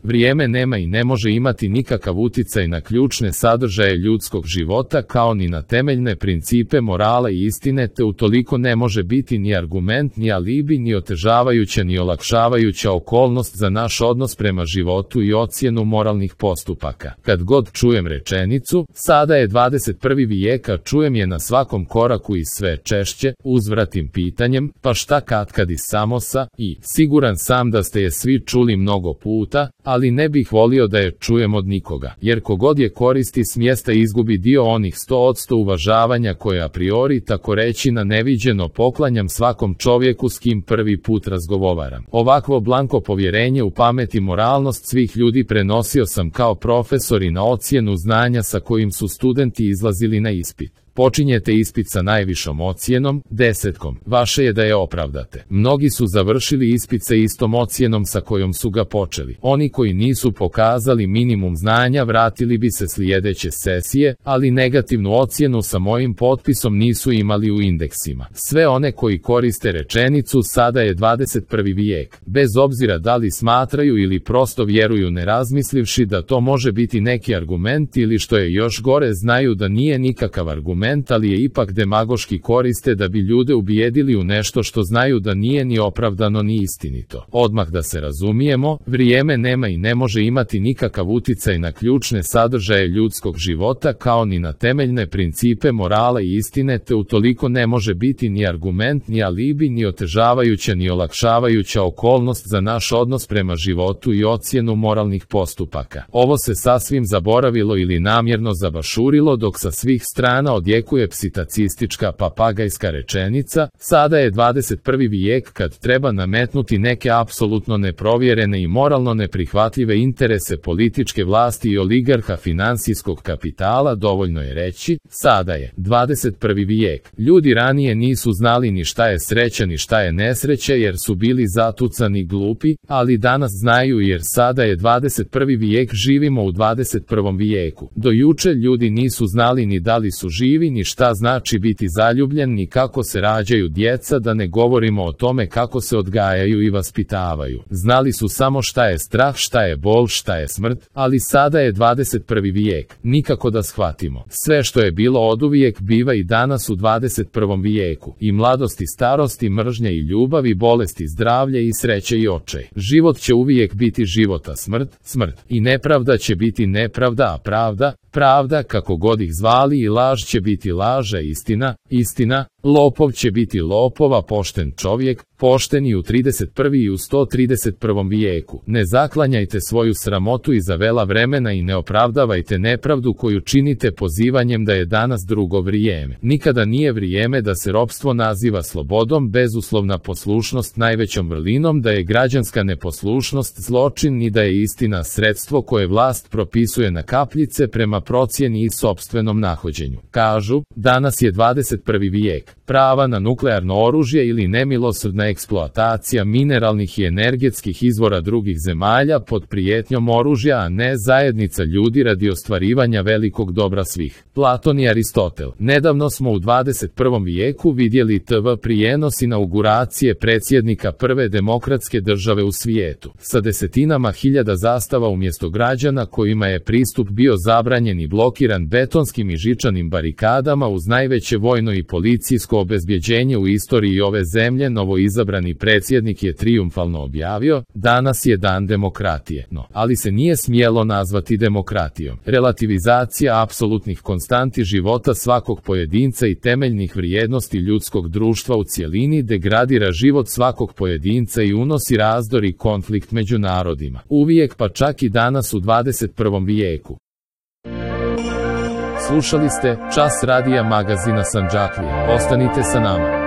Vrijeme nema i ne može imati nikakav uticaj na ključne sadržaje ljudskog života kao ni na temeljne principe morala i istine, te utoliko ne može biti ni argument, ni alibi, ni otežavajuća ni olakšavajuća okolnost za naš odnos prema životu i ocjenu moralnih postupaka. Kad god čujem rečenicu, sada je 21. vijek, a čujem je na svakom koraku i sve češće, uzvratim pitanjem, pa šta katkad i samo sa, i siguran sam da ste je svi čuli mnogo puta, ali ne bih volio da je čujem od nikoga, jer kogod je koristi s mjesta izgubi dio onih 100% uvažavanja koje a priori tako reći na neviđeno poklanjam svakom čovjeku s kim prvi put razgovaram. Ovakvo blanko povjerenje u pamet i moralnost svih ljudi prenosio sam kao profesor i na ocjenu znanja sa kojim su studenti izlazili na ispit. Počinjete ispit sa najvišom ocjenom, 10. Vaše je da je opravdate. Mnogi su završili ispit sa istom ocjenom sa kojom su ga počeli. Oni koji nisu pokazali minimum znanja vratili bi se sljedeće sesije, ali negativnu ocjenu sa mojim potpisom nisu imali u indeksima. Sve one koji koriste rečenicu sada je 21. vijek, bez obzira da li smatraju ili prosto vjeruju ne razmislivši da to može biti neki argument ili što je još gore znaju da nije nikakav argument, ali je ipak demagoški koriste da bi ljude ubijedili u nešto što znaju da nije ni opravdano ni istinito. Odmah da se razumijemo, vrijeme nema i ne može imati nikakav uticaj na ključne sadržaje ljudskog života kao ni na temeljne principe morala i istine, te utoliko ne može biti ni argument, ni alibi, ni otežavajuća ni olakšavajuća okolnost za naš odnos prema životu i ocjenu moralnih postupaka. Ovo se sasvim zaboravilo ili namjerno zabašurilo dok sa svih strana odjekuje psitacistička papagajska rečenica, sada je 21. vijek kad treba nametnuti neke apsolutno neprovjerene i moralno neprihvatljive interese političke vlasti i oligarha financijskog kapitala, dovoljno je reći, sada je 21. vijek. Ljudi ranije nisu znali ni šta je sreća ni šta je nesreća jer su bili zatucani glupi, ali danas znaju jer sada je 21. vijek, živimo u 21. vijeku. Do juče ljudi nisu znali ni da li su živi ni šta znači biti zaljubljen ni kako se rađaju djeca, da ne govorimo o tome kako se odgajaju i vaspitavaju. Znali su samo šta je strah, šta je bol, šta je smrt, ali sada je 21. vijek. Nikako da shvatimo. Sve što je bilo oduvijek biva i danas u 21. vijeku. I mladost i starost i mržnja i ljubav i bolest i zdravlje i sreće i očaj. Život će uvijek biti život, a smrt, smrt. I nepravda će biti nepravda, a pravda, pravda, kako god ih zvali, i laž će biti laž, a istina, istina. Lopov će biti lopova, pošten čovjek, pošten i u 31. i u 131. vijeku. Ne zaklanjajte svoju sramotu iza vela vremena i ne opravdavajte nepravdu koju činite pozivanjem da je danas drugo vrijeme. Nikada nije vrijeme da se ropstvo naziva slobodom, bezuslovna poslušnost najvećom vrlinom, da je građanska neposlušnost zločin, ni da je istina sredstvo koje vlast propisuje na kapljice prema procjeni i sopstvenom nahođenju. Kažu, danas je 21. vijek. Prava na nuklearno oružje ili nemilosrdna eksploatacija mineralnih i energetskih izvora drugih zemalja pod prijetnjom oružja, a ne zajednica ljudi radi ostvarivanja velikog dobra svih. Platon i Aristotel. Nedavno smo u 21. vijeku vidjeli TV prijenos inauguracije predsjednika prve demokratske države u svijetu, sa desetinama hiljada zastava umjesto građana kojima je pristup bio zabranjen i blokiran betonskim i žičanim barikadama uz najveće vojno i policijsko obezbjeđenje u istoriji ove zemlje. Novoizabrani predsjednik je trijumfalno objavio, danas je dan demokratije, no, ali se nije smjelo nazvati demokratijom. Relativizacija apsolutnih konstanti života svakog pojedinca i temeljnih vrijednosti ljudskog društva u cjelini degradira život svakog pojedinca i unosi razdor i konflikt među narodima. Uvijek, pa čak i danas u 21. vijeku. Slušali ste Čas radija magazina Sandžaklije. Ostanite sa nama.